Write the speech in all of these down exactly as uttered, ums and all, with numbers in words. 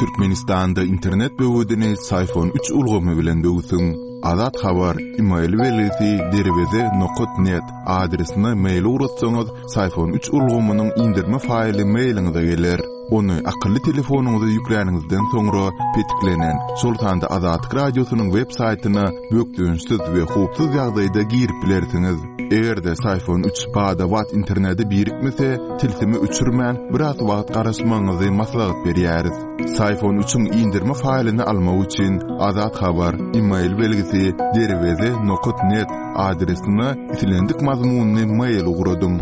Türkmenistanda internet böwedini Syfon üç ulgamy bilen böwsüň. Azat Habar, email belgisi derweze nokat net adresine mail ugratsaňyz, Syfon üç ulgamynyň indirme faýly mailiňize geler. Ony akylly telefonyňyza ýükläniňizden soňra petiklenen, şol sanda Azatlyk Radiosynyň web saýtyna bökdençsiz we howpsuz ýagdaýda girip bilersiňiz. Eger-de Syfon üç bada-bat internete birikmese, tilsimi öçürmän biraz wagt garaşmagyňyzy maslahat berýäris. Syfon üçiň indirme faýlyny almak üçin Azat Habar, email belgisi derweze nokat net adresine islendik mazmunyny mail ugradyň.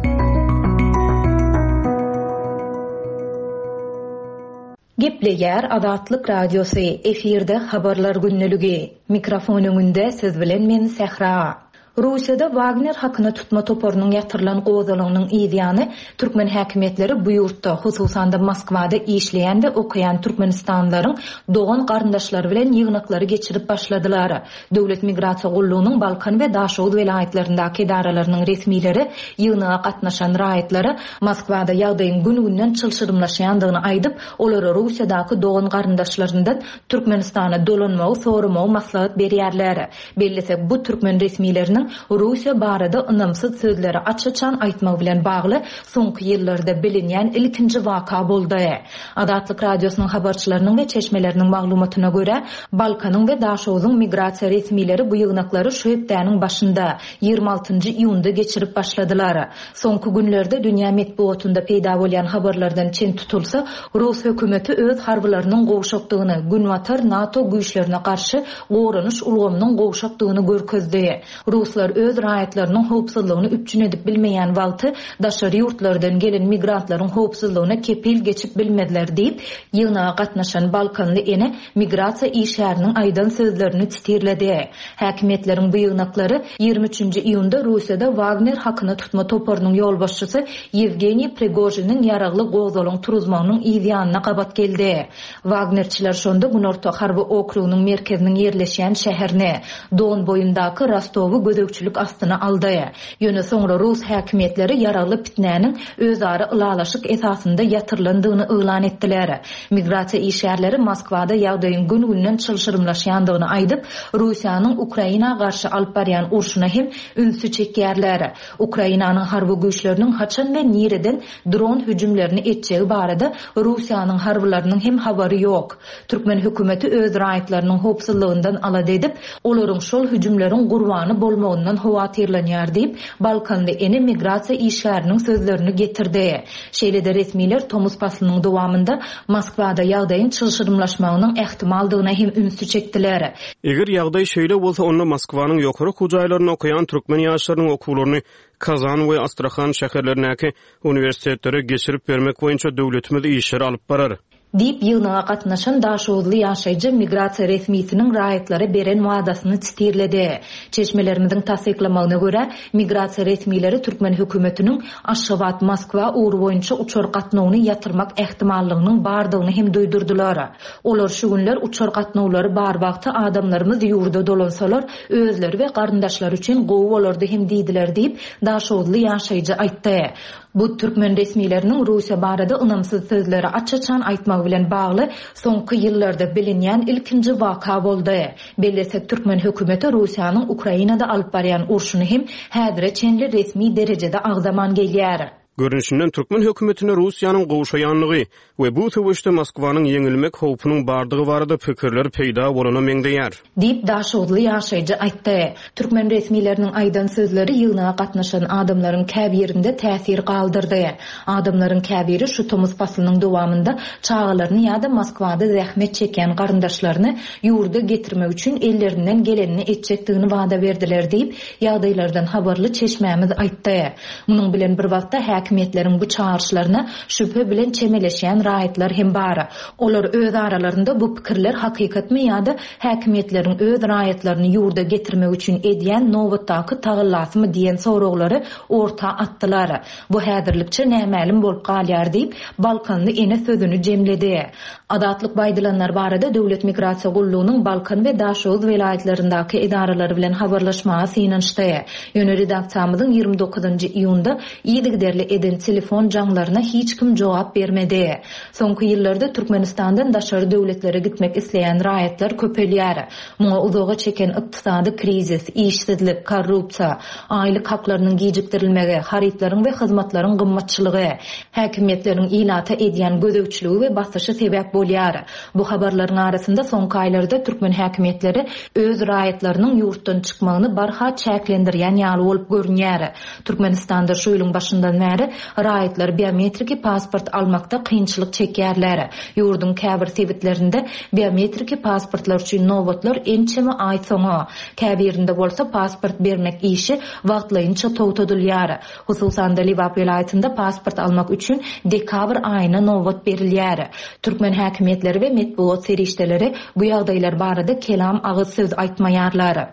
Gepleýär Azatlyk Radiosy, efirde habarlar günlügi. Mikrofon öňünde siz bilen men Sähra. Russiýada Wagner hakyna tutma toparynyň ýatyrylan gozalagynyň ýany türkmen häkimiýetleri bu ýurtda, hususan-da Moskwada işleýän we okaýan türkmenistanlylaryň dogan garyndaşlary bilen ýygnaklary geçirip başladylar. Döwlet migrasiýa gullugynyň Balkan we Daşoguz welaýatlaryndaky edaralarynyň resmileri ýygnaga gatnaşan raýatlara Moskwada ýagdaýyň gün-günden çylşyrymlaşýandygyny aýdyp, olara Russiýadaky dogan garyndaşlaryndan Türkmenistana dolanmagy soramagy maslahat berýärler. Bellesek, bu türkmen resmileriniň Russiýa barada ynamsyz sözleri aç-açan aýtmak bilen bagly soňky ýyllarda bilinýän ilkinji waka boldy. Azatlyk Radiosynyň habarçylarynyň we çeşmeleriniň maglumatyna görä, Balkanyň we Daşoguzyň migrasiýa resmileri bu ýygnaklary şu hepdäniň başynda ýigrimi altynjy iýunda geçirip başladylar. Soňky günlerde dünýä metbugatynda peýda bolýan habarlardan çen tutulsa, Rus hökümeti öz harbylarynyň gowşakdygyny, Günbatar NATO güýçlerine garşy goranyş ulgamynyň gowşakdygyny görkezdi. Ruslar öz raýatlarynyň howpsuzlygyny üpjün edip bilmeýän wagty daşary ýurtlardan gelen migrantlaryň howpsuzlygyna kepil geçip bilmezler diýip, ýygnaga gatnaşan Balkanly ene migrasiýa işgäriniň aýdan sözlerini titirledi. Häkimiýetleriň bu ýygnaklary ýigrimi üçünji iýunda Russiýada Wagner hakyna tutma toparynyň ýolbaşçysy Ýewgeniý Prigojiniň ýaragly gozalaň turuzmagynyň ýanyna gabat geldi. Wagnerçiler şonda Günorta harby okrugynyň merkeziniň ýerleşýän şäherine, Don boýundaky Rostowy gözegçilik astyna aldy. Ýöne soňra Rus häkimiýetleri ýaragly pitnäniň özara ylalaşyk esasynda ýatyrylandygyny yglan etdiler. Migrasiýa işgärleri Moskwada ýagdaýyň gün-günden çylşyrymlaşýandygyny aýdyp, Russiýanyň Ukraina garşy alyp barýan urşuna hem ünsi çekýärler. Ukrainanyň harby güýçleriniň haçan we nireden dron hüjümlerini etjegi barada Russiýanyň harbylarynyň hem habary ýok. Türkmen hökümeti öz raýatlarynyň howpsuzlygyndan alada edip, olaryň şol hüjümleriň gurbany bolmagyndan howatyrlanýar diýip, Balkanly ene migrasiýa işgäriniň sözlerini getirdi. Şeýle-de resmiler tomus paslynyň dowamynda Moskwada ýagdaýyň çylşyrymlaşmagynyň ähtimaldygyna hem ünsi çekdiler. Eger ýagdaý şeýle bolsa, onda Moskwanyň ýokary okuw jaýlarynda okaýan türkmen ýaşlarynyň okuwlaryny Kazan we Astrahan şäherlerindäki uniwersitetlere geçirip bermek boýunça döwletimiz işleri alyp barar. Diýip, ýygnaga gatnaşan Daşoguzly ýaşaýjy migrasiýa resmisiniň raýatlara beren wadasyny titirledi. Çeşmelerimiziň tassyklamagyna görä, migrasiýa resmileri türkmen hökümetiniň Aşgabat Moskwa ugry boýunça uçar gatnawyny ýatyrmak ähtimallygynyň bardygyny hem duýdurdylar. Olar şu günler uçar gatnawlary bar wagty adamlarymyz ýurda dolansalar, özleri we garyndaşlary üçin gowy bolardy hem diýdiler diýip, Daşoguzly ýaşaýjy aýtdy. Bu türkmen resmileriniň Russiýa barada ynamsyz sözleri aç-açan aýtmagy bilen bagly soňky ýyllarda bilinýän ilkinji waka boldy. Bellesek, türkmen hökümeti Russiýanyň Ukrainada alyp barýan urşuny hem häzire çenli resmi derejede agzaman gelýär. Görnüşinden türkmen hökümetine Russiýanyň gowşaýanlygy we bu söweşde Moskwanyň ýeňilmek howpunyň bardygy barada pikirler peýda bolana meňzeýär. Diýip, Daşoguzly ýaşaýjy aýtdy. Türkmen resmileriniň aýdan sözleri ýygnaga gatnaşan adamlaryň käbirinde täsir galdyrdy. Adamlaryň käbiri şu tomus paslynyň dowamynda çagalaryny ýa-da Moskwada zähmet çekýän garyndaşlaryny ýurda getirmek üçin ellerinden gelenini etjekdigini wada berdiler diýip, ýagdaýlardan habarly çeşmämiz aýtdy. Munuň bilen bir wagtda häkimiýetleriň bu çagyryşlaryna şübhe bilen çemeleşýän raýatlar hem bar. Olar öz aralarynda bu pikirler hakykatmy ýa-da häkimiýetleriň öz raýatlaryny ýurda getirmek üçin edýän nobatdaky tagallasymy diýen soraglary orta atdylar. Bu häzirlikçe nämälim bolup galýar diýip, Balkanly ene sözüni jemledi. Azatlyk baýdylanlar barada Döwlet migrasiýa gullugynyň Balkan we Daşoguz welaýatlaryndaky edaralary bilen habarlaşmaga synanyşdy. Ýöne redaksiýamyzyň ýigrimi dokuzynjy iýunda yzygiderli eden telefon jaňlaryna hiç kim jogap bermedi. Soňky ýyllarda Türkmenistandan daşary döwletlere gitmek isleýän raýatlar köpelýär. Muňa uzaga çeken ykdysady krizis, işsizlik, korrupsiýa, aýlyk haklarynyň gijikdirilmegi, harytlaryň we hyzmatlaryň gymmatçylygy, häkimiýetleriň ilata edýän gözegçiligi we basyşy sebäp bolýar. Bu habarlaryň arasynda soňky aýlarda türkmen häkimiýetleri öz raýatlarynyň ýurtdan çykmagyny barha çäklendirýän ýaly bolup görünýär. Türkmenistanda şu ýylyň başyndan bäri raýatlar biometriki pasport almakda kynçylyk çekýärler. Ýurduň käbir sebitlerinde biometriki pasportlar üçin nobatlar ençeme aý soňa, käbirinde bolsa pasport bermek işi wagtlaýynça togtadylýar. Hususan-da Lebap welaýatynda pasport almak üçin dekabr aýyna nobat berilýär. Türkmen häkimiýetleri we metbugat serişdeleri bu ýagdaýlar barada kelam agyz söz aýtmaýarlar.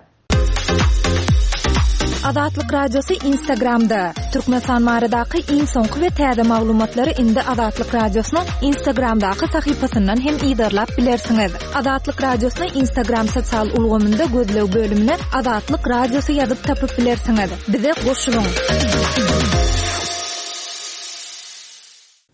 Azatlyk Radiosy Instagramda. Türkmenistan baradaky iň soňky we täze maglumatlary indi Azatlyk Radiosynyň Instagramdaky sahypasyndan hem yzarlap bilersiňiz. Azatlyk Radiosyny Instagram sosial ulgamynda gözleg bölümine Azatlyk Radiosy ýazyp tapyp bilersiňiz. Bize goşulyň.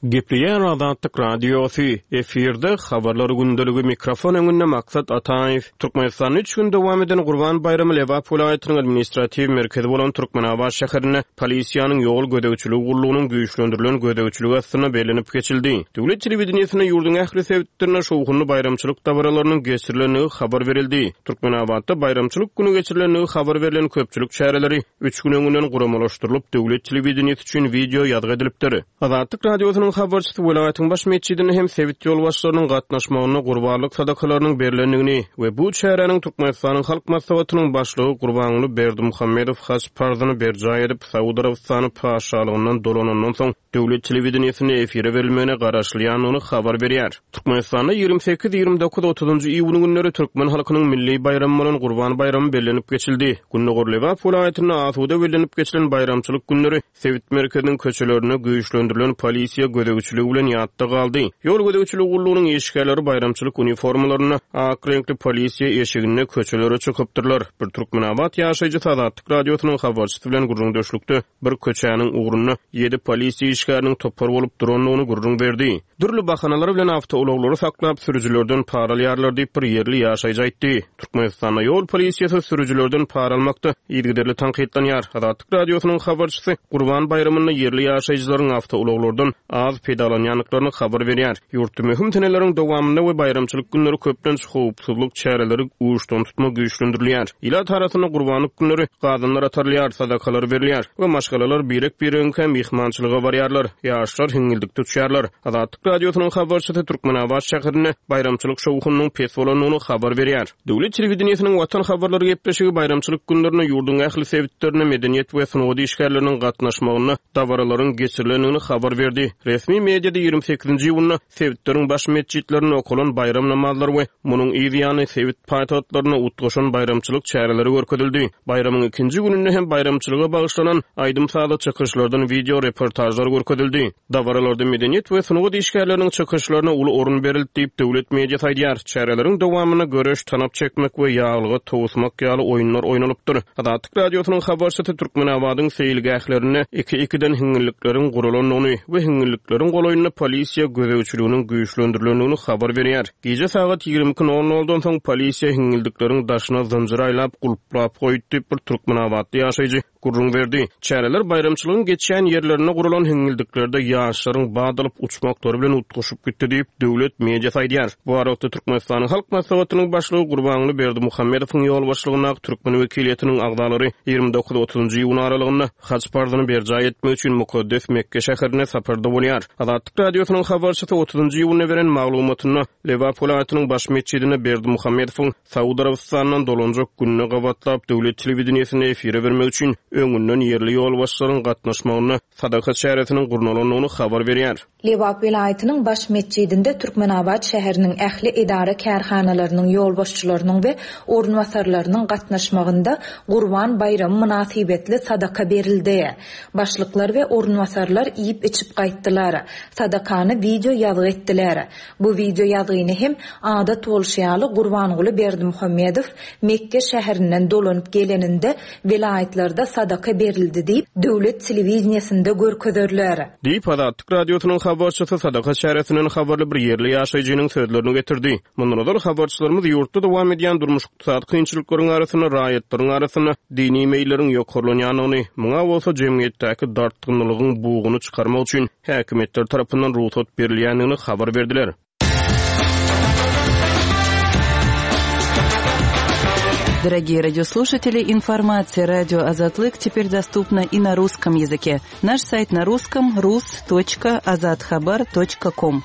Gepleýär Azatlyk Radiosy, efirde habarlar gündeligi, mikrofon öňünde Maksat Ataýew. Türkmenistanda üç gün dowam eden Gurban baýramy Lebap welaýatynyň administratiw merkezi bolan Türkmenabat şäherinde polisiýanyň ýol gözegçiligi gullugynyň güýçlendirilen gözegçiligi astynda bellenip geçildi. Döwlet telewideniýesinde ýurduň ähli sebitlerinde şowhunly baýramçylyk dabaralarynyň geçirilendigi habar berildi. Türkmenabatda baýramçylyk güni geçirilendigi habar berlen köpçülik çäreleri üç gün öňünden guramalaşdyrylyp, döwlet telewideniýesi üçin wideo ýazgy edilipdir. Azatlyk Radiosynyň habarçysy welaýatyň baş metjidinde hem sebit ýolbaşçylarynyň gatnaşmagynda gurbanlyk sadakalarynyň berlendigini we bu çäräniň Türkmenistanyň Halk Maslahatynyň başlygy Gurbanguly Berdimuhamedow haç parzyny berjaý edip, Saud Arabystany patyşalygyndan dolanandan soň döwlet telewideniýesinde efire berilmegine garaşylýandygyny habar berýär. Türkmenistanda ýigrimi sekiz, ýigrimi dokuz, otuzynjy iýun günleri türkmen halkynyň milli baýramy bolan Gurban baýramy bellenip geçildi. Gündogar Lebap welaýatynda asuda bellenip geçilen baýramçylyk günleri sebit merkeziniň köçelerinde güýçlendirilen polisiýa gözegçiligi bilen ýatda galdy. Ýol gözegçiligi gullugynyň işgärleri baýramçylyk uniformalarynda ak reňkli polisiýa eşiginde köçelere çykypdyrlar. Bir Türkmenabat ýaşaýjysy Azatlyk Radiosynyň habarçysy bilen gürrüňdeşlikde bir köçäniň ugrunda ýedi polisiýa işgäriniň topar bolup durandygyny gürrüň berdi. Dürli bahanalar bilen awtoulaglary saklap sürüjilerden para alýarlar diýip bir ýerli ýaşaýjy aýtdy. Türkmenistanda ýol polisiýasy sürüjilerden para almakda yzygiderli tankytlanýar. Azatlyk Radiosynyň habarçysy Gurban baýramynda ýerli ýaşaýjylaryň awtoulaglardan az peýdalanýandyklaryny habar berýär. Ýurtda möhüm seneleriň dowamynda we baýramçylyk günleri köplenç howpsuzlyk çäreleri uçdan tutma güýçlendirilýär. Ilat arasynda gurbanlyk günleri gazanlar atarylýar, sadakalar berilýär we maşgalalar birek-biregiňkä myhmançylyga barýarlar. Ýaşlar hiňňildikde uçýarlar. Azatlyk Radiosynyň habarçysy Türkmenabat şäherinde baýramçylyk şowhunynyň pes bolandygyny habar berýär. Döwlet telewideniýesiniň Watan habarlary gepleşigi baýramçylyk günlerinde ýurduň ähli sebitlerinde medeniýet we sungat işgärleriniň gatnaşmagynda dabaralaryň geçirilendigini habar berdi. Resmi mediada ýigrimi sekizinji iýunda sebitleriň baş metjitlerinde okalan baýram namazlary we munuň yz ýany sebit paýtagtlarynda utgaşan baýramçylyk çäreleri görkezildi. Baýramyň ikinji gününde hem baýramçylyga bagyşlanan aýdym-sazly çykyşlardan wideo reportajlar görkezildi. Dabaralarda medeniýet we sungat işgärleriniň çykyşlaryna uly orun berildi diýip döwlet mediasy aýdýar. Çäreleriň dowamynda göreş, tanap çekmek we ýaglyga towusmak ýaly oýunlar oýnalypdyr. Azatlyk Radiosynyň habarçysy Türkmenabadyň seýilgählerinde iki-ikiden hiňňillikleriň guralandygyny we hiňňillikleriň golaýynda polisiýa gözegçiliginiň güýçlendirilendigini habar berýär. Gije sagat ýigrimi iki nol noldan soň polisiýa hiňňillikleriň daşyna zynjyr aýlap gulplap goýdy diýip bir Türkmenabatly ýaşaýjy gürrüň berdi. Çäreler baýramçylygyň geçýän ýerlerinde guralan hiňňildiklerde ýaşlaryň bad alyp uçmaklary bilen utgaşyp gitdi diýip döwlet mediasy aýdýar. Bu aralykda Türkmenistanyň Halk Maslahatynyň başlygy Gurbanguly Berdimuhamedowyň ýolbaşçylygyndaky türkmen wekiliýetiniň agzalary ýigrimi dokuz otuzynjy iýun aralygynda haç parzyny berjaý etmek üçin mukaddes Mekke şäherine saparda bolýar. Azatlyk Radiosynyň habarçysy otuzynjy iýunda beren maglumatynda Lebap welaýatynyň baş metjidinde Berdimuhamedowyň Saud Arabystanyndan dolanjak gününe gabatlap döwlet telewideniýesinde efire bermek üçin öňünden ýerli ýolbaşçylaryň gatnaşmagynda sadaka çäresiniň gurnalandygyny habar berýär. Lebap welaýatynyň baş metjidinde Türkmenabat şäheriniň ähli edara kärhanalarynyň ýolbaşçylarynyň we orunbasarlarynyň gatnaşmagynda Gurban baýramy mynasybetli sadaka berildi. Başlyklar we orunbasarlar iýip içip gaýtdylar. Sadakany wideo ýazgy etdiler. Bu wideo ýazgyny hem adat bolşy ýaly Gurbanguly Berdimuhamedow Mekke şäherinden dolanyp geleninde welaýatlarda sadaka berildi diýip, döwlet telewideniýesinde görkezerler. Diýip, Azatlyk Radiosynyň habarçysy sadaka çäresinden habarly bir ýerli ýaşaýjynyň sözlerini getirdi. Mundan ozal habarçylarymyz ýurtda dowam edýän durmuş-ykdysady kynçylyklaryň arasynda raýatlaryň arasynda dini meýilleriň ýokarlanýandygyny, muňa bolsa jemgyýetdäki dartgynlygyň buguny çykarmak üçin häkimiýetler tarapyndan rugsat berilýändigini habar berdiler. Дорогие радиослушатели, информация радио Азатлык теперь доступна и на русском языке. Наш сайт на русском rus.azathabar.com.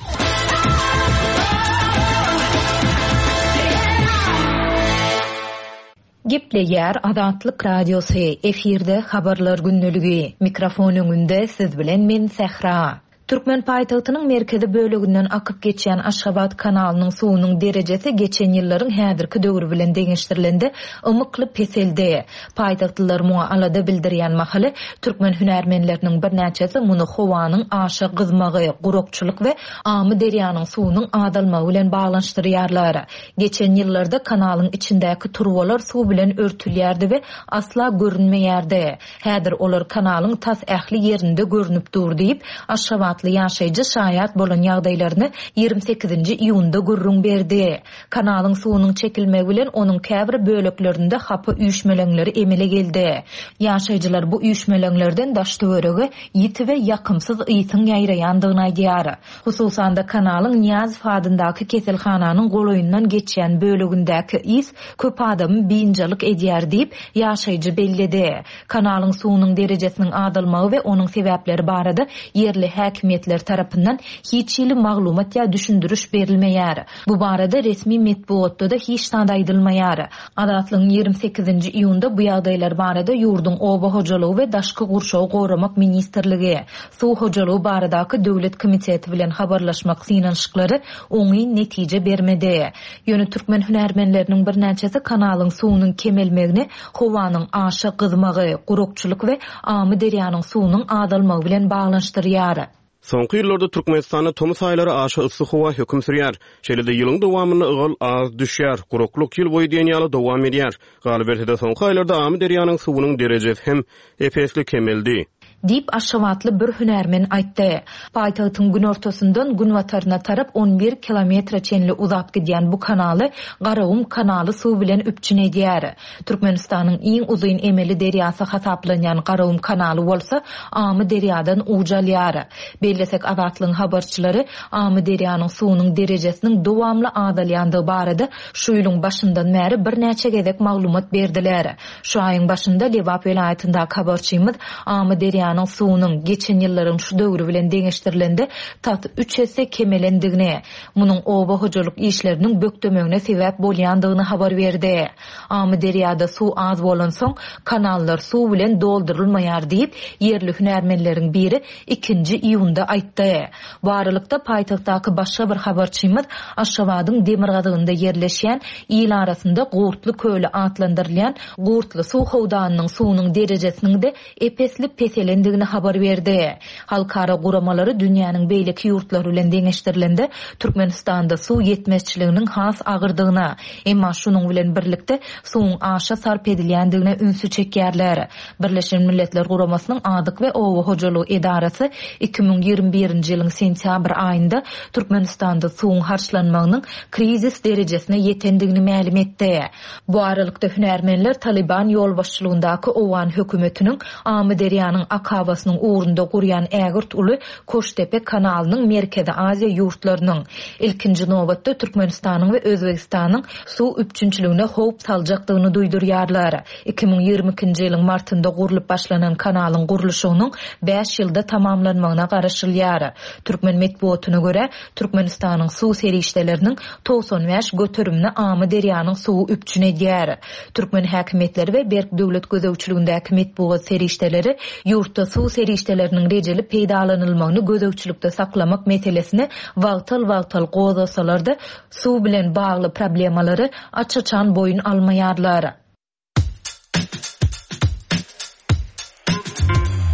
Gepleýär Azatlyk Radiosy, efirde habarlar gündeligi. Mikrofon öňünde siz bilen men Sähra. Türkmen paýtagtynyň merkezi böleginden akyp geçýän Aşgabat kanalynyň suwunyň derejesi geçen ýyllaryň häzirki döwri bilen deňeşdirilende ymykly peseldi. Paýtagtlylar muňa alada bildirýän mahaly türkmen hünärmenleriniň birnäçesi muny howanyň aşa gyzmagy, gurakçylyk we Amyderýanyň suwunyň azalmagy bilen baglanyşdyrýarlar. Geçen ýyllarda kanalyň içindäki turbalar suw bilen örtülýärdi we asla görünmeýärdi. Häzir olar kanalyň tas ähli ýerinde görünip dur diýip, Aşgabatly ýaşaýjy şaýat bolan ýagdaýlaryny ýigrimi sekizinji iýunda gürrüň berdi. Kanalyň suwunyň çekilmegi bilen onuň käbir böleklerinde hapa üýşmeleňleri emele geldi. Ýaşaýjylar bu üýşmeleňlerden daş töwerege ýiti we ýakymsyz ysyň ýaýraýandygyny aýdýar. Hususan-da kanalyň Niýazow adyndaky keselhananyň golaýyndan geçýän bölegindäki ys köp adamy biynjalyk edýär diýip, ýaşaýjy belledi. Kanalyň suwunyň derejesiniň azalmagy we onuň sebäpleri barada ýerli häkimiýetler tarapyndan hiç hili maglumat ýa düşündiriş berilmeýär. Bu barada resmi metbugatda da hiç zat aýdylmaýar. Azatlygyň ýigrimi sekizinji iýunda bu ýagdaýlar barada ýurduň oba hojalygy we daşky gurşawy goramak ministrligi, suw hojalygy baradaky döwlet komiteti bilen habarlaşmak synanyşyklary oňyn netije bermedi. Ýöne türkmen hünärmenleriniň birnäçesi kanalyň suwunyň kemelmegini howanyň aşa gyzmagy, gurakçylyk we Amyderýanyň suwunyň azalmagy bilen baglanyşdyrýar. Soňky ýyllarda Türkmenistanda tomus aýlary aşa yssy howa höküm sürýär. Şeýle-de ýylyň dowamynda ygal az düşýär, guraklyk ýyl boýy diýen ýaly dowam edýär. Galyberse-de soňky aýlarda Amyderýanyň suwunyň derejesi hem ep-esli kemeldi. Diýip Aşgabatly bir hünärmen aýtdy. Paýtagtyň günortasyndan günbataryna tarap on bir kilometre çenli uzap gidýän bu kanaly Garagum kanaly suw bilen üpjün edýär. Türkmenistanyň iň uzyn emeli derýasy hasaplanýan Garagum kanaly bolsa Amyderýadan uç alýar. Bellesek Azatlygyň habarçylary Amyderýanyň suwunyň derejesiniň dowamly azalýandygy barada şu ýylyň başyndan bäri birnäçe gezek maglumat berdiler. Şu aýyň başynda Lebap welaýatyndaky habarçymyz Amyderýanyň suwunyň geçen ýyllaryň şu döwri bilen deňeşdirilende tas üç esse kemelendigini, munuň oba hojalyk işleriniň bökdemegine sebäp bolýandygyny habar berdi. Amyderýada suw az bolansoň kanallar suw bilen doldurylmaýar diýip, ýerli hünärmenleriň biri ikinji iýunda aýtdy. Bu aralykda paýtagtdaky başga bir habarçymyz Aşgabadyň demirgazygynda ýerleşýän il arasynda Gurtly köli atlandyrylýan Gurtly suw howdanynyň suwunyň derejesiniň de ep-esli peselendigini habar berdi. Halkara guramalary dünýäniň beýleki ýurtlary bilen deňeşdirilende Türkmenistanda suw ýetmezçiliginiň has agyrdygyna, emma şunuň bilen birlikde suwuň aşa sarp edilýändigine ünsi çekýärler. Birleşen Milletler Guramasynyň Azyk we Oba hojalygy edarasy iki müň ýigrimi birinji ýylyň sentýabr aýynda Türkmenistanda suwuň harçlanmagynyň krizis derejesine ýetendigini mälim etdi. Bu aralykda hünärmenler Taliban ýolbaşçylygyndaky Owgan hökümetiniň Amyderýanyň akabasynyň ugrunda gurýan ägirt uly Koştepe kanalynyň Merkezi Aziýa ýurtlarynyň ilkinji nobatda Türkmenistanyň we Özbegistanyň suw üpjünçiligine howp saljakdygyny duýdurýarlar. Iki müň ýigrimi ikinji ýylyň martynda gurlup başlanan kanalyň gurluşygynyň bäş ýylda tamamlanmagyna garaşylýar. Türkmen metbugatyna görä, Türkmenistanyň suw serişdeleriniň togsan bäş göterimini Amyderýanyň suwy üpjün edýär. Türkmen häkimiýetleri we berk döwlet gözegçiligindäki metbugat serişdeleri ýurtda suw serişdeleriniň rejeli peýdalanylmagyny gözegçilikde saklamak meselesini wagtal-wagtal gozgasalar-da suw bilen bagly problemalary aç-açan boýun almaýarlar.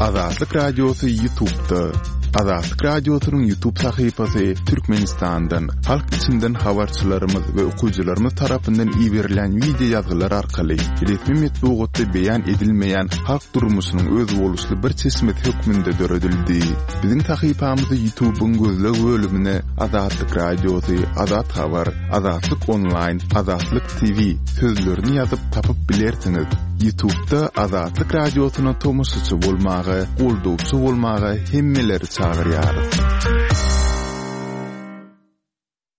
Azatlyk Radiosy YouTube'da. Azatlyk Radiosynyň YouTube sahypasy Türkmenistandan, halk içinden habarçylarymyz we okyjylarymyz tarapyndan iberilen wideo ýazgylar arkaly resmi metbugatda beýan edilmeýän halk durmuşynyň özboluşly bir çeşmesi hökmünde döredildi. Biziň sahypamyzy YouTube'yň gözleg bölümine Azatlyk Radiosy, Azat Habar, Azatlyk Online, Azatlyk T V sözlerini ýazyp tapyp bilersiňiz. YouTube'da Azatlyk Radiosyna tomaşaçy bolmaga, goldawçy bolmaga hemmeleri çagyrýarys.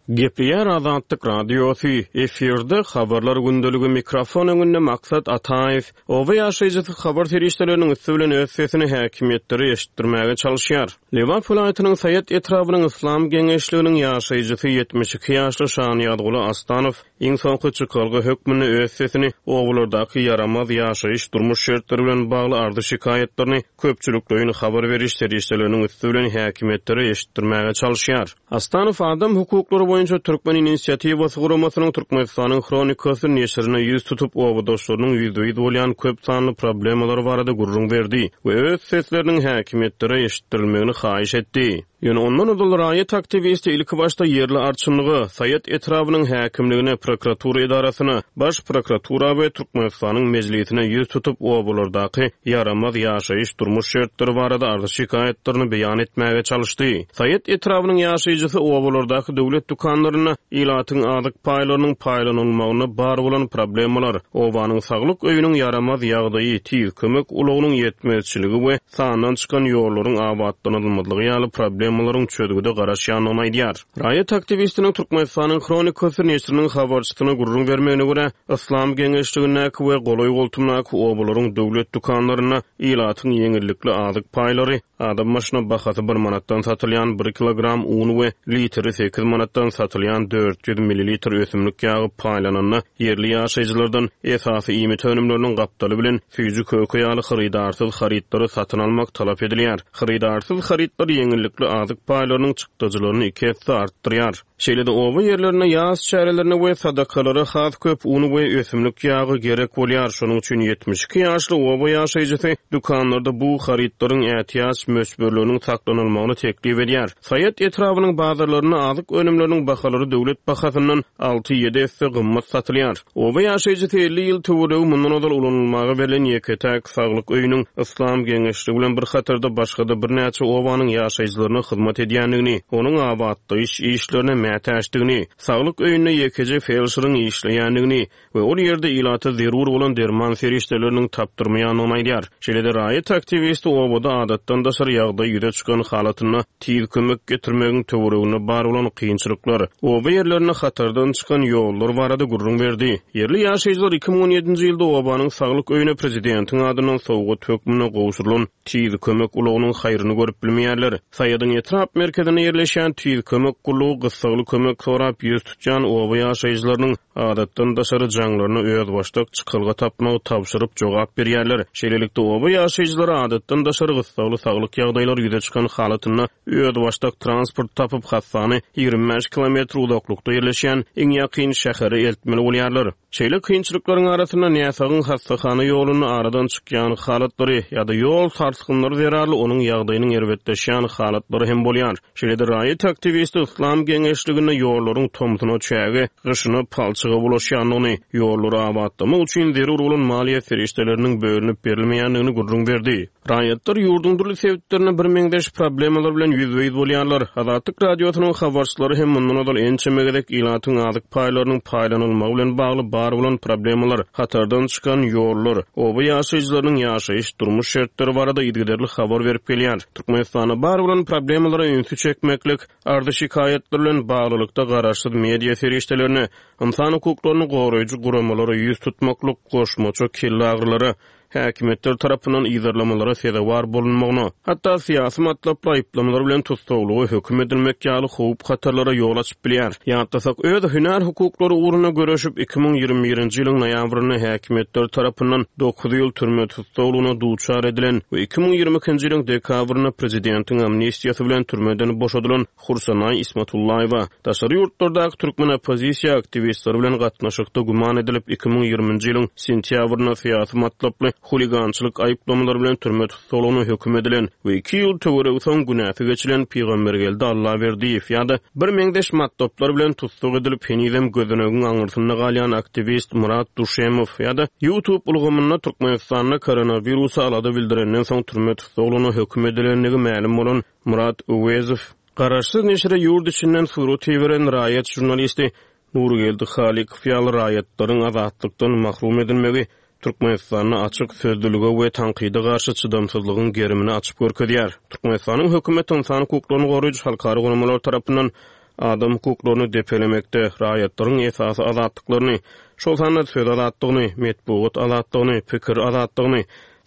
Gepleýär Azatlyk Radiosy, efirde habarlar gündeligi, mikrofon öňünde Maksat Ataýew. Oba ýaşaýjysy habar serişdeleriniň üsti bilen öz sesini häkimiýetlere eşitdirmäge çalışýar. Lebap welaýatynyň Saýat etrabynyň Yslam geňeşliginiň ýaşaýjysy ýetmiş iki ýaşly Şanyýazguly Astanow iň soňky çykalga hökmünde öz sesini obalardaky ýaramaz ýaşaýyş durmuş şertleri bilen bagly arzy şikaýatlaryny köpçülikleýin habar beriş serişdeleriniň üsti bilen häkimiýetlere eşitdirmäge çalışýar. Astanow Adam hukuklary boýunça Türkmen inisiatiwasy guramasynyň Türkmenistanyň Hronikasy neşirine ýüz tutup, obadaşlarynyň ýüzbe-ýüz bolýan köp sanly problemalar barada gürrüň berdi we öz sesleriniň häkimiýetlere eşitdirilmegini haýyş etdi. Ýöne ondan ozal raýat aktiwisti ilki başda ýerli arçynlyga, Saýat etrabynyň häkimligine, prokuratura edarasyna, baş prokuratura we Türkmenistanyň mejlisine ýüz tutup, obalardaky ýaramaz ýaşaýyş durmuş şertleri barada arzy şikaýatlaryny beýan etmäge çalyşdy. Saýat etrabynyň ýaşaýjysy obalardaky döwlet dükanlarynda ilatyň azyk paýlarynyň paýlanylmagyna bar bolan problemalar, obanyň saglyk öýüniň ýaramaz ýagdaýy, tiz kömek ulagynyň ýetmezçiligi we sandan çykan ýollaryň abatlanylmazlygy ýaly problemalaryň çözgüde garaşýandygyny aýdýar. Raýat aktiwistiniň Türkmenistanyň Hronikasy neşiriniň habarçysyna gürrüň bermegine görä, Yslam geňeşligindäki we golaý goltumdaky obalaryň döwlet dükanlarynda ilatyň ýeňillikli azyk paýlary, adam başyna bahasy bir manatdan satylýan bir kilogram un we litri sekiz manatdan satylýan dört ýüz millilitr ösümlik ýagy paýlananda ýerli ýaşaýjylardan esasy iýmit önümleriniň gapdaly bilen süýji köke ýaly hyrydarsyz harytlary satyn almak talap edilýär. Hyrydarsyz harytlar ýeňillikli azyk paýlarynyň çykdajylaryny iki esse artdyrýar. Şeýle-de oba ýerlerinde ýas çärelerine we sadakalara has köp un we ösümlik ýagy gerek bolýar. Şonuň üçin ýetmiş iki ýaşly oba ýaşaýjysy dükanlarda bu harytlaryň ätiýaç möçberleriniň saklanylmagyny teklip edýär. Saýat etrabynyň bazarlarynda azyk önümleriniň bahalary döwlet bahasyndan alty-ýedi esse gymmat satylýar. Oba ýaşaýjysy elli ýyl töweregi mundan ozal ulanylmaga berlen ýeke-täk saglyk öýüniň Yslam geňeşligi bilen bir hatarda başga-da birnäçe obanyň ýaşaýjylaryna hyzmat edýändigini, onuň abatlaýyş işlerine mätäçdigini, saglyk öýünde ýekeje felşeriň işleýändigini we ol ýerde ilata zerur bolan derman serişdeleriniň tapdyrmaýandygyny aýdýar. Şeýle-de raýat aktiwisti obada adatdan daşary ýagdaý ýüze çykan halatynda tiz kömek getirmegiň töwereginde bar bolan kynçylyklar, oba ýerlerinde hatardan çykan ýollar barada gürrüň berdi. Ýerli ýaşaýjylar iki müň on ýedinji ýylda obanyň saglyk öýüne prezidentiň adyndan sowgat hökmünde gowşurylan tiz kömek ulagynyň haýryny görüp bilmeýärler. Saýadyň etrap merkezinde ýerleşýän tiz kömek gullugy gyssagly kömek sorap ýüz tutýan oba ýaşaýjylarynyň adatdan daşary jaňlaryna özbaşdak çykalga tapmagy tabşyryp jogap berýärler. Şeýlelikde oba ýaşaýjylary adatdan daşary gyssagly saglyk ýagdaýlary ýüze çykan halatynda özbaşdak transport tapyp hassany ýigrimi bäş kilometr uzaklykda ýerleşýän iň ýakyn şähere eltmeli bolýarlar. Şeýle kynçylyklaryň arasynda näsagyň hassahana ýolunda aradan çykýan halatlary ýa-da ýol sarsgynlary zerarly onuň ýagdaýynyň erbetleşýän halatlary hem bolýar. Şeýle-de raýat aktiwisti Yslam geňeşliginde ýollaryň tomsuna çäge, gyşyna palçyga bulaşýandygyny, ýollary abatlamak üçin zerur bolan maliýe serişdeleriniň bölünip berilmeýändigini gürrüň berdi. Raýatlar ýurduň dürli sebitlerinde bir meňzeş problemalar bilen ýüzbe-ýüz bolýarlar. Azatlyk Radiosynyň habarçylary hem mundan ozal ençeme gezek ilatyň azyk paýlarynyň paýlanylmagy bilen bagly bar bolan problemalar, hatardan çykan ýollar, oba ýaşaýjylarynyň ýaşaýyş durmuş şertleri barada yzygiderli habar berip gelýär. Türkmenistanda bar bolan problemalara ünsi çekmeklik, arzy şikaýatlar bilen baglylykda garaşsyz media serişdelerine, ynsan hukuklaryny goraýjy guramalara ýüz tutmaklyk goşmaça kelle häkimiýetler tarapyndan yzarlamalara sezewar bolunmagyna, hatda syýasy matlaply aýyplamalar bilen tussaglyga höküm edilmek ýaly howp hatarlara ýol açyp bilýär. Ýatlasak, öz hünär hukuklary ugrunda göreşip iki müň ýigrimi birinji ýylyň noýabrynda häkimiýetler tarapyndan dokuz ýyl türme tussaglygyna duçar edilen we iki müň ýigrimi ikinji ýylyň dekabrynda prezidentiň amnistiýasy bilen türmeden boşadylan Hursanaý Ismatullaýewa daşary ýurtlardaky türkmen oppozisiýa aktiwistleri bilen gatnaşykda güman edilip iki müň ýigriminji ýylyň sentýabrynda syýasy matlaply huligançylyk aýyplamalary bilen türme tussaglygyna höküm edilen we iki ýyl töweregi soň günäsi geçilen Pygambergeldi Allaberdiýew ýa-da bir meňzeş matlaplar bilen tussag edilip henizem gözenegiň aňyrsynda galýan aktiwist Murat Duşemow ýa-da YouTube ulgamynda Türkmenistanda koronawirusa alada bildirenden soň türme tussaglygyna höküm edilendigi mälim bolan Murat Öwezow, garaşsyz neşire ýurt içinden surat beren raýat žurnalisti Nurgeldi Halikow ýaly raýatlaryň azatlykdan mahrum edilmegi Türkmenistanda açyk sözlülige we tankyda garşy çydamsyzlygyň gerimini açyp görkezýär. Türkmenistanyň hökümeti insan hukuklaryny goraýjy halkara guramalar tarapyndan adam hukuklaryny depelemekde, raýatlaryň esasy azatlyklaryny, şol sanda söz azatlygyny, metbugat azatlygyny, pikir azatlygyny,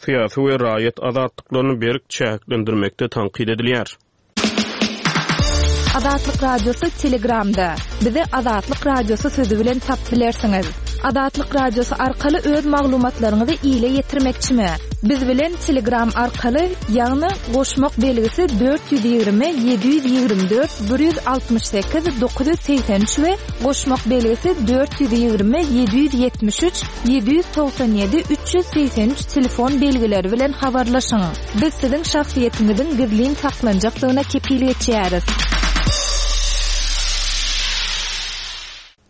syýasy we raýat azatlyklaryny berk çäklendirmekde tankyt edilýär. Azatlyk Radiosy Telegramda. Bizi Azatlyk Radiosy sözü bilen tap bilersiňiz. Azatlyk Radiosy arkaly öz maglumatlaryňyzy ile ýetirmekçimi? Biz bilen Telegram arkaly, ýagny goşmak belgisi dört ýüz ýigrimi ýedi ýüz ýigrimi dört bir ýüz altmyş sekiz dokuz ýüz segsen üç we goşmak belgisi dört ýüz ýigrimi ýedi ýüz ýetmiş üç ýedi ýüz togsan ýedi üç ýüz segsen üç telefon belgileri bilen habarlaşyň. Biz siziň şahsyýetiňiziň gizlin saklanjakdygyna kepil geçýäris.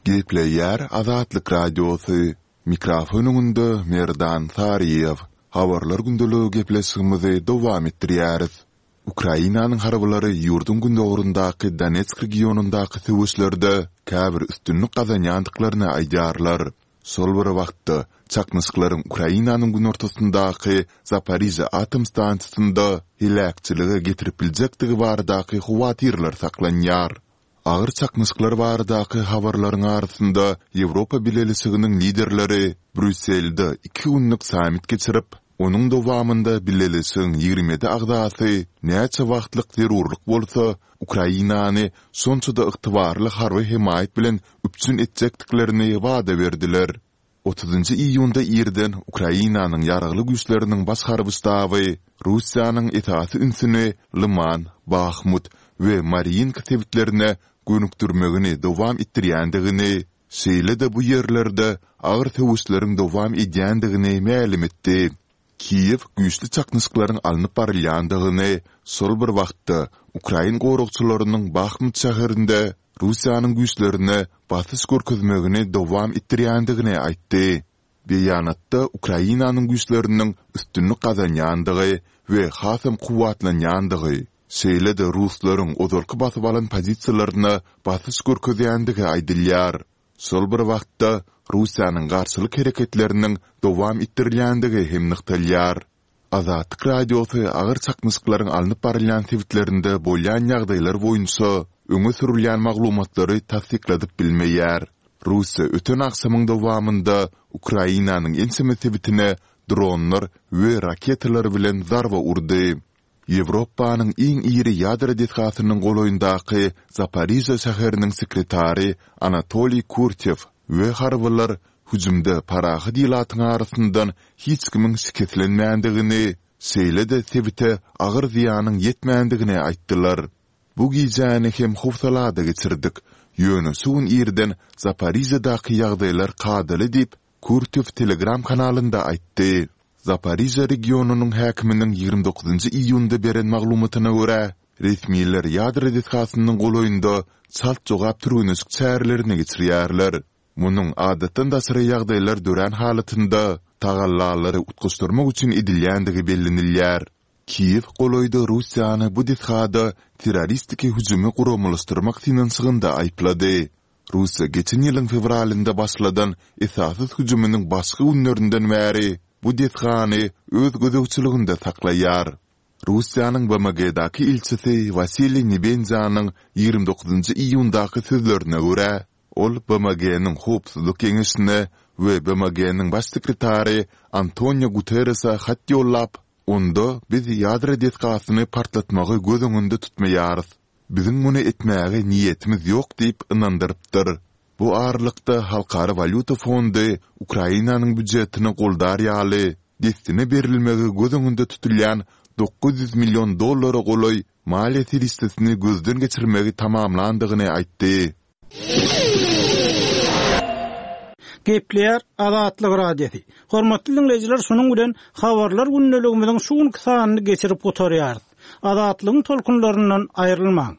Gepleýär Azatlyk Radiosy. Mikrofon öňünde Merdan Saryýew. Habarlar gündeligi gepleşigimizi dowam etdirýäris. Ukrainanyň harbylary ýurduň gündogaryndaky Donetsk regionyndaky söweşlerde käbir üstünlik gazanýandyklaryny aýdýarlar. Şol bir wagtda çaknyşyklaryň Ukrainanyň günortasyndaky Zaporižýa atom stansiýasynda heläkçilige getirip biljekdigi baradaky howatyrlar saklanýar. Agyr çaknyşyklar baradaky habarlaryň arasynda Ýewropa Bileleşiginiň liderleri Brýusselde iki günlük sammit geçirip, onuň dowamynda Bileleşigiň ýigrimi ýedi agzasy näçe wagtlyk zerurlyk bolsa, Ukrainany şonça-da ygtybarly harby hemaýat bilen üpjün etjekdiklerini wada berdiler. Otuzynjy iýunda irden Ukrainanyň ýaragly güýçleriniň baş harby ştaby Russiýanyň esasy ünsüni Lyman, Bahmut we Mariinka sebitlerine gönükdirmegini dowam etdirýändigini, şeýle-de bu ýerlerde agyr söweşleriň dowam edýändigini mälim etdi. Kiýew güýçli çaknyşyklaryň alnyp barylýandygyny, şol bir wagtda ukrain goragçylarynyň Bahmut şäherinde Russiýanyň güýçlerine basyş görkezmegini dowam etdirýändigini aýtdy. Beýanatda Ukrainanyň güýçleriniň üstünlik gazanýandygy we hasam kuwwatlanýandygy, şeýle-de ruslaryň ozalky basyp alan pozisiýalaryna basyş görkezýändigi aýdylýar. Şol bir wagtda Russiýanyň garşylyk hereketleriniň dowam etdirilýändigi hem nygtalýar. Azatlyk Radiosy agyr çaknyşyklaryň alnyp barylýan sebitlerinde bolýan ýagdaýlar boýunça öňe sürülýän maglumatlary tassykladyp bilmeýär. Russiýa öten agşamyň dowamynda Ukrainanyň ençeme sebitine dronlar we raketalar bilen zarba urdy. Ýewropanyň iň iri ýadro desgasynyň golaýyndaky Zaporižýa şäheriniň sekretary Anatoliý Kurtew we harbylar hüjümde parahat ilatyň arasyndan hiç kimiň şikeslenmändigini, şeýle-de sebite agyr zyýanyň ýetmändigini aýtdylar. Bu gijäni hem howsalada geçirdik, ýöne şu gün irden Zaporižýadaky ýagdaýlar kadaly diýip, Kurtew Telegram kanalynda aýtdy. Zaporižýa regionynyň häkiminiň ýigrimi dokuzynjy iýunda beren maglumatyna görä, resmiler ýadro desgasynyň golaýynda çalt jogap türgenleşik çärelerini geçirýärler. Munuň adatdan daşary ýagdaýlar dörän halatynda tagallalary utgaşdyrmak üçin edilýändigi bellenilýär. Kiýew golaýda Russiýany bu desgada terroristiki hüjümi guramalaşdyrmak synanyşygynda aýyplady. Russiýa geçen ýylyň fewralynda başladan esassyz hüjüminiň başky günlerinden bäri bu desgany öz gözegçiliginde saklaýar. Russiýanyň B M G-daky ilçisi Wasiliý Nebenzýanyň ýigrimi dokuzynjy iýundaky sözlerine görä, ol B M G-niň Howpsuzlyk Geňeşine we B M G-niň Baş sekretary Antonio Guterrese hat ýollap, onda biz ýadro desgasyny partlatmagy göz öňünde tutmaýarys, biziň muny etmäge niýetimiz ýok diýip ynandyrypdyr. Bu aralykda Halkara walýuta fondy Ukrainanyň býujetini goldar ýaly dessine berilmegi göz öňünde tutulýan dokuz ýüz million dollara golaý maliýe serişdesini gözden geçirmegi tamamlandygyny aýtdy. Gepleýär Azatlyk Radiosy. Hormatly dinleýjiler, şunuň bilen habarlar gündeligimiziň şu günki sanyny geçirip gutarýarys. Azatlygyň tolkunlaryndan aýrylmaň.